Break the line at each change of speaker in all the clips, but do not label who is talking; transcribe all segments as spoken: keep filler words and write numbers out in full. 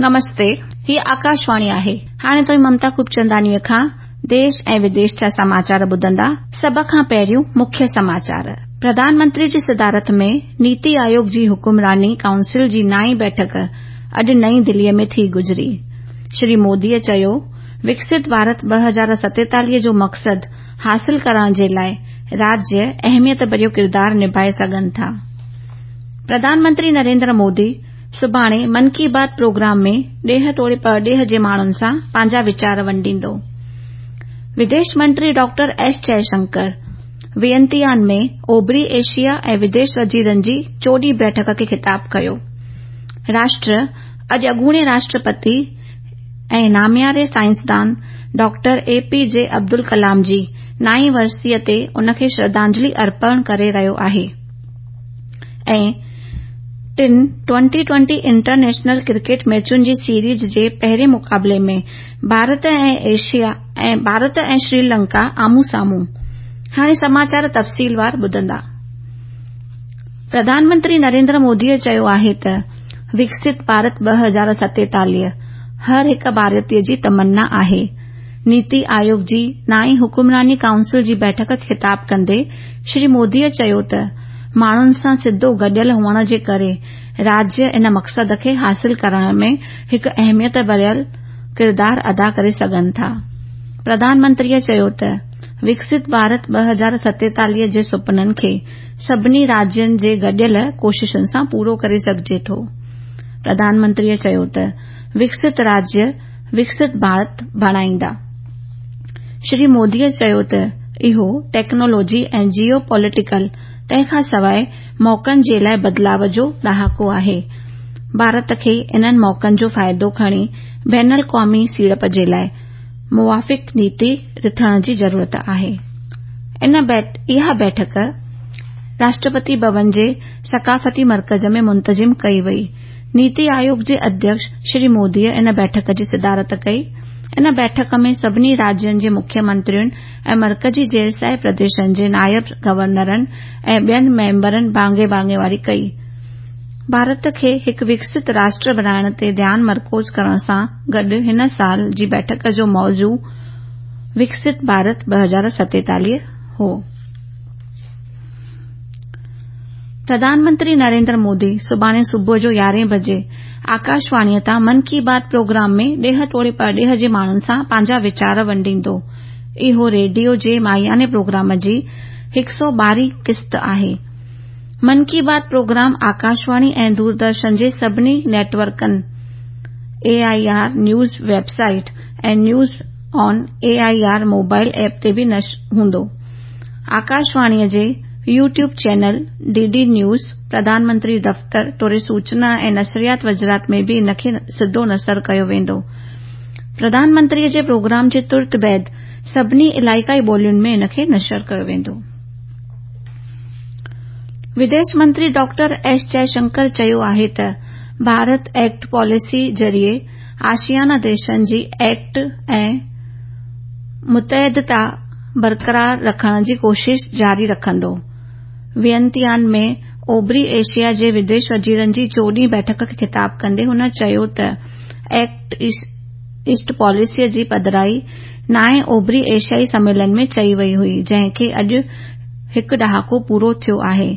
نمستي، هي آڪاشواڻي آهي. هاڻي توهين ممتا خوبچنداڻيء کان ديش ۽ وديش جا سماچار ٻڌندا. سڀ کان پهريون مکيه سماچار. پرڌان منتري جي صدارت ۾ نيتي آيوگ جي حڪمراني ڪائونسل جي نائين بيٺڪ اڄ نئين دليء ۾ ٿي گذري. شري موديء چيو، وڪست ڀارت ٻه هزار ستيتاليهه جو مقصد حاصل ڪرڻ جي لاء راجيه اهميت ڀريو ڪردار نڀائي سگهن ٿا. پرڌان منتري نريندر مودي سڀاڻي من ڪي بات پروگرام ۾ ڏيهه توڙي پرڏيهه جي ماڻهن سان پنهنجا ويچار ونڊيندو. وديش منتري ڊاڪٽر ايس جئشنڪر وينتيان ۾ اوڀري ايشيا ۽ وديش وزيرن جي چوڏهين بيٺڪ کي خطاب ڪيو. راشٽر اڄ اڳوڻي راشٽرپتي ۽ نامياري سائنسدان doctor A P J Abdul Kalam جي نائين ورسيء تي ان کي شرڌانجلي ارپڻ ڪري رهيو آهي. ۽ ٽن ٽوئنٽي ٽوئنٽي انٽرنيشنل ڪرڪيٽ ميچن جي سيريز جي پهرين مقابلي ۾ ڀارت ۽ ايشيا ۽ ڀارت ۽ شري لنڪا آمهون سامهون. هاڻي سماچار تفصيلوار ٻڌندا. پرڌان منتري نريندر موديء چيو آهي ته وڪست ڀارت ٻه هزار ستيتاليهه هر هڪ ڀارتيه جي تمنا آهي. نيتي آيوگ جي نائين حڪمراني ڪائونسل جي بيٺڪ کي خطاب ڪندي شري موديء چيو ته ماڻهن سان سڌو گڏيل هئڻ جي ڪري راجيه ان مقصد کي حاصل ڪرڻ ۾ هڪ اهميت ڀريل ڪردار ادا ڪري سگهن ٿا. پرڌان منتريء چيو ته وڪست ڀارت ٻه هزار ستيتاليهه جي سپنن کي سڀني راجين جي گڏيل ڪوششن سان پورو ڪري سگهجي ٿو. پرڌان منتريء چيو ته وڪست راجيه وڪست ڀارت بڻائيندا. شري موديء چيو ته اهو ٽيڪنالاجي ۽ جيو پوليٽيڪل تنهن کان سواءِ موقعن جي لاءِ بدلاءُ جو ڏهاڪو آهي. ڀارت کي انهن موقعن جو فائدو کڻي بين الاقوامي سيڙپ جي لاءِ موافق نيتي رٿڻ جي ضرورت آهي. ان اها بيٺڪ راشٽرپتي ڀون جي ثقافتي مرڪز ۾ منتظم ڪئي وئي. نيتي آيوگ جي اڌيڪش شري موديء ان بيٺڪ جي صدارت ڪئي. ان بيٺڪ ۾ سڀني راجين جي مکيه منترين ۽ مرڪزي زيرسايه پرديشن جي نائب گورنرن ۽ ٻين ميمبرن ڀاڱي ڀاڱيواري ڪئي. ڀارت کي هڪ وڪست راشٽر بڻائڻ تي ڌيان مرڪوز ڪرڻ سان گڏ هن سال جي بيٺڪ جو موضوع وڪست ڀارت ٻه هزار ستيتاليهه هو. پرڌان منتري نريندر مودي سڀاڻي صبح جو يارهين بجي آڪاشواڻيء تان من ڪي بات پروگرام ۾ ڏيهه توڙي پرڏيهه جي ماڻهن سان پنهنجا ويچار ونڊيندو. اهو ريڊيو جي ماهياني پروگرام جي هڪ سؤ ٻارهين قسط آهي. من ڪي بات پروگرام آڪاشواڻي ۽ دوردرشن جي سڀني net ورڪن، A I R news website ۽ news on A I R mobile app تي به نشر هوندو. آڪاشواڻيء جي YouTube channel D D news, Pradhan Mantri دفتر توڙي سوچنا ۽ نشريات وزارت ۾ به ان کي سڌو نشر ڪيو ويندو. پرڌان منتريء جي پروگرام جي ترت بعد سڀني علائقائي ٻولين ۾ ان کي نشر ڪيو ويندو. وديش منتري ڊاڪٽر ايس جئشنڪر چيو آهي ته ڀارت ايڪٽ پاليسي ذريعي آسيان ديشن جي ايڪٽ ۽ متحدتا برقرار رکڻ جي ڪوشش جاري رکندو. وينتيان ۾ اوڀري ايشيا جي وديش وزيرن جي چوڏهين بيٺڪ کي خطاب ڪندي هن چيو ته ايڪٽ ايسٽ پاليسيء جي پڌرائي نائين اوڀري ايشيائي سميلن ۾ چئي وئي هئي، جنهن کي اڄ هڪ ڏهاڪو پورو ٿيو آهي.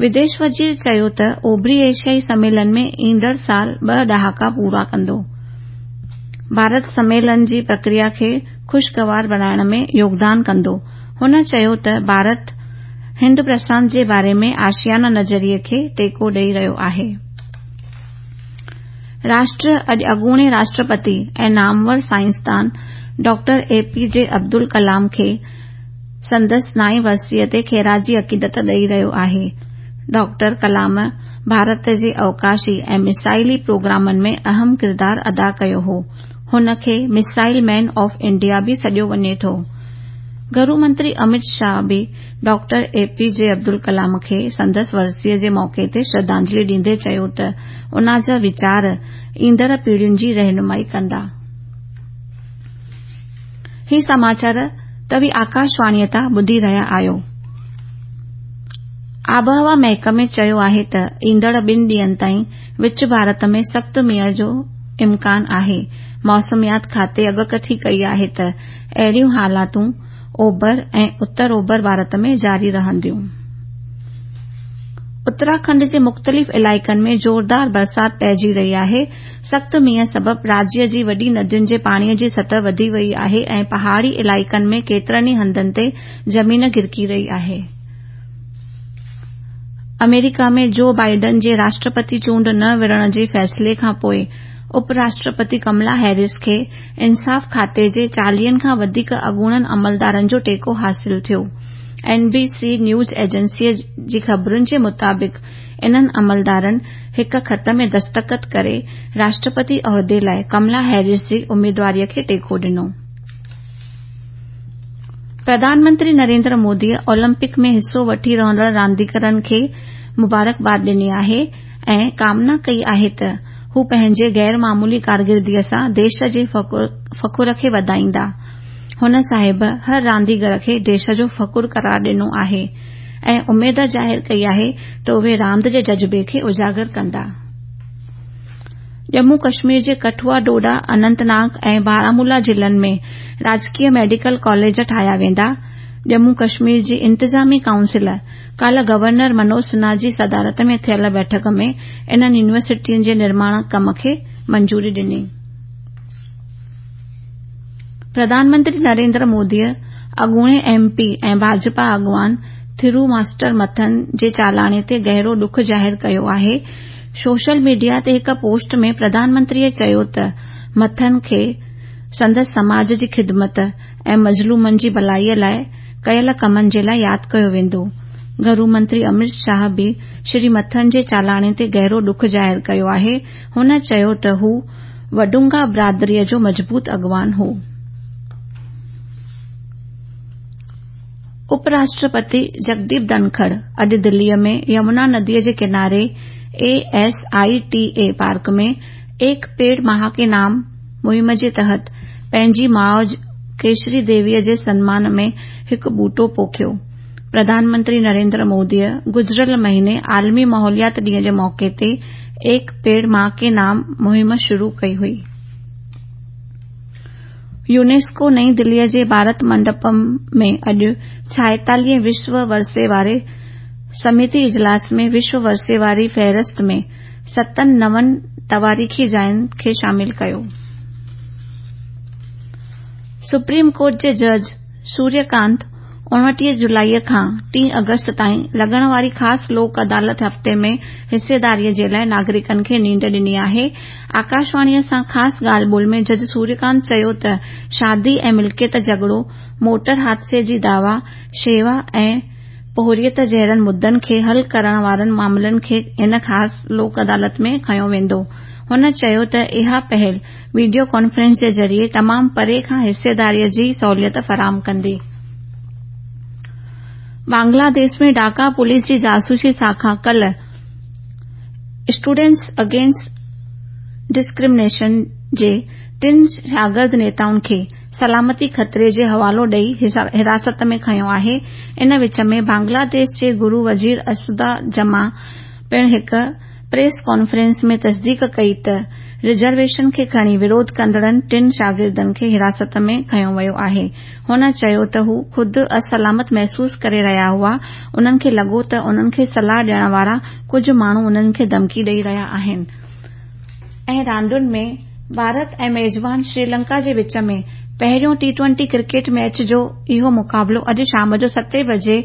وديش وزير چيو ته اوڀري ايشيائي سميلن ۾ ايندڙ سال ٻه ڏهاڪا پورا ڪندو. ڀارت سميلن جي پرڪريا کي خوشگوار بڻائڻ ۾ يوگدان ڪندو. هن چيو ته ڀارت هند پرشانت جي باري ۾ آسيان نظريي کي ٽيڪو ڏئي رهيو آهي. راشٽر اڄ اڳوڻي راشٽرپتي ۽ نامور سائنسدان doctor A P J Abdul Kalam کي سندس نائين ورسيء تي خراجي عقيدت ڏئي رهيو آهي. ڊاڪٽر ڪلام ڀارت جي اوڪاشي ۽ مسائلي پروگرامن ۾ اهم ڪردار ادا ڪيو هو. هن کي مسائل مين آف انڊيا به سڏيو وڃي ٿو. گهرو منتري امت شاهه به doctor A P J Abdul Kalam کي سندس ورسيء جي موقعي تي شرڌانجلي ڏيندي چيو ته ان جا ويچار ايندڙ پيڙهين جي رهنمائي ڪندا. هي سماچار توهين آڪاشواڻيء تان ٻڌي رهيا آهيو. آبهوا محڪمي چيو آهي ته ايندڙ ٻن ڏينهن تائين وچ ڀارت ۾ سخت مينهن جو इम्कान आहे। मौसमियात खाते अॻकथी कई आहे त अहिड़ियूं हालातूं ओभर ऐं उत्तर ओभर भारत में जारी रहंदियूं। उत्तराखंड जे मुख़्तलिफ़ इलाइक़नि में ज़ोरदार बरसात पइजी रही आहे। सख़्त मींहं सबबि राज्य जी वॾी नदियुनि जे पाणीअ जी सतह वधी वई आहे ऐं पहाड़ी इलाइक़नि में केतिरनि ई हंधनि ते ज़मीन गिरकी रही आहे। अमेरिका में जो बाइडन जे राष्ट्रपति चूंड न विढ़ण जे फ़ैसिले खां पोइ उपराष्ट्रपति कमला हैरिस खे इंसाफ़ खाते जे चालीहनि खां वधीक अॻूणनि अमलदारनि जो टेको हासिल थियो। एन बी सी न्यूज़ एजेंसीअ जी ख़बरुनि जे मुताबिक़ इन्हनि अमलदारनि हिकु ख़त में दस्तख़त करे राष्ट्रपति ओहदे लाइ कमला हैरिस जी उम्मीदवारीअ खे टेको ॾिनो। प्रधानमंत्री नरेंद्र मोदीअ ओलंपिक में हिसो वठी रहंदड़ रांदीगरनि खे मुबारकबाद ॾिनी आहे ऐं कामना कई आहे त हू पंहिंजे गैर मामूली कारकिर्दगीअ सां देश जे फ़ख़ुर खे वधाईंदा। हुन साहिब हर रांदीगर खे देश जो फ़ख़ुर करार ॾिनो आहे ऐं उमेद ज़ाहिर कई आहे त उहे रांदि जे जज़्बे खे उजागर कंदा। जम्मू कश्मीर जे कठुआ, डोडा, अनंतनाग ऐं बारामूला ज़िलनि में राजकीय मेडिकल कॉलेज ठाहिया वेंदा। जम्मू कश्मीर जी इंतिज़ामी काउंसिल काल्ह गवर्नर मनोज सिन्हा जी सदारत में थियल बैठक में इन्हनि यूनिवर्सिटियुनि जे निर्माण कम खे मंजूरी ॾिनी। प्रधानमंत्री नरेंद्र मोदीअ अॻूणे एम पी ऐं भाजपा अॻवान थिरू मास्टर मथन जे चालाणे ते गहिरो ॾुख ज़ाहिर कयो आहे। सोशल मीडिया ते हिकु पोस्ट में प्रधानमंत्रीअ चयो त मथन खे संदसि समाज जी ख़िदमत ऐं मज़लूमनि जी भलाईअ लाइ कयल कमनि जे लाइ यादि कयो वेंदो। घरू मंत्री अमित शाह बि श्री मथन जे चालाणे ते गहिरो ॾुख ज़ाहिर कयो आहे। हुन चयो त हू वडुंगा बिरादरीअ जो मज़बूत अॻवान हो। उपराष्ट्रपति जगदीप धनखड़ अॼु दिल्लीअ में यमुना नदीअ जे किनारे A S I T A park में एक पेड़ मां के नाम मुहिम जे तहत पंहिंजी माउ केशरी देवीअ जे सनमान में हिकु ॿूटो पोखियो। प्रधानमंत्री नरेंद्र मोदीअ गुज़िरियल महीने आलमी माहौलियात ॾींहं जे मौक़े ते एक पेड़ मां के नाम मुहिम शुरू कई हुई। यूनेस्को नई दिल्लीअ जे भारत मंडपम में अॼु छाएतालीह विश्व वरसे वारे समिति इजलास में विश्व वरसे वारी फ़हरिस्त में सतनि नवनि तवारीख़ी जायुनि खे शामिल कयो। सुप्रीम कोर्ट जे जज सूर्यकांत उणिवीह जुलाईअ खां टे अगस्त ताईं लॻण वारी ख़ासि लोक अदालत हफ़्ते में हिस्सेदारीअ जे लाइ नागरिकनि खे नींड ॾिनी आहे। आकाशवाणीअ सां ख़ासि ॻाल्हि ॿोल में जज सूर्यकांत चयो त शादी ऐं मिल्कियत झगड़ो, मोटर हादसे जी दावा, शेवा ऐं पोहरियत जहिड़नि मुद्दनि खे हल करण वारनि मामलनि खे इन ख़ासि लोक अदालत में खयो वेंदो। हुन चयो त इहा पहल वीडियो कॉन्फ्रेंस जे ज़रिए तमाम परे खां हिस्सेदारीअ जी सहूलियत फराहम कंदी। बांग्लादेश में ढाका पुलिस जी जासूसी शाखा कल स्टूडेंट्स अगेंस्ट डिस्क्रिमिनेशन जे टिनि शागिर्द नेताउनि खे सलामती ख़तरे जे हवालो ॾेई हिरासत में खयो आहे। इन विच में बांग्लादेश जे गुरू वज़ीर असदा जमा पिणु हिकु प्रेस कॉन्फ्रेंस में तस्दीक कई त रिज़र्वेशन खे खणी विरोध कंदड़नि टिनि शागिर्दनि खे हिरासत में खयो वियो आहे। हुन चयो त हू ख़ुदि असलामत महसूस करे रहिया हुआ। उन्हनि खे लॻो त उन्हनि खे सलाह ॾियण वारा कुझु माण्हू उन्हनि खे धमकी ॾेई रहिया आहिनि। ऐं रांदियुनि में भारत ऐं मेज़बान श्रीलंका जे विच में पहिरियों टी ट्वेंटी क्रिकेट मैच जो इहो मुक़ाबिलो अॼु शाम जो सते बजे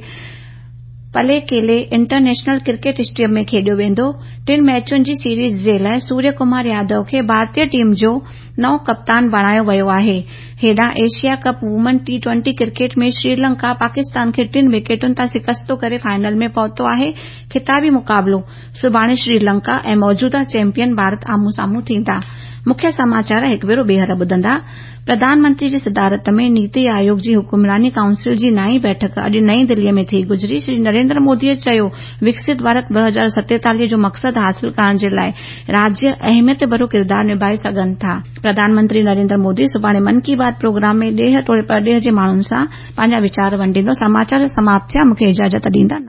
पलेकेले इंटरनेशनल क्रिकेट स्टेडियम में खेॾियो वेंदो। टिनि मैचुनि जी सीरीज़ जे लाइ सूर्य कुमार यादव खे भारतीय टीम जो नओं कप्तान बणायो वियो आहे। हेॾां Asia cup women T twenty cricket में श्रीलंका पाकिस्तान खे टिनि विकेटुनि तां शिकस्तो करे फाइनल में पहुतो आहे। खिताबी मुक़ाबिलो सुभाणे श्रीलंका ऐं मौजूदा चैंपियन भारत आम्हूं साम्हूं थींदा। मुख्य समाचार हिकु भेरो ॿीहर ॿुधंदा। प्रधानमंत्री जी सदारत में नीति आयोग जी हुकुमरानी काउंसिल जी नाई बैठक अॼु नई दिल्लीअ में थी गुज़री। श्री नरेंद्र मोदीअ चयो, विकसित भारत ॿ हज़ार सतेतालीह जो मक़सदु हासिल करण जे लाइ राज्य अहमियत भरियो किरदारु निभाए सघनि था। प्रधानमंत्री नरेंद्र मोदी सुभाणे मन की बात प्रोग्राम में ॾेह तोड़े परॾेह जे माण्हुनि सां पंहिंजा वीचार वंडींदो। समाचार समाप्त थिया, मूंखे इजाज़त ॾींदा।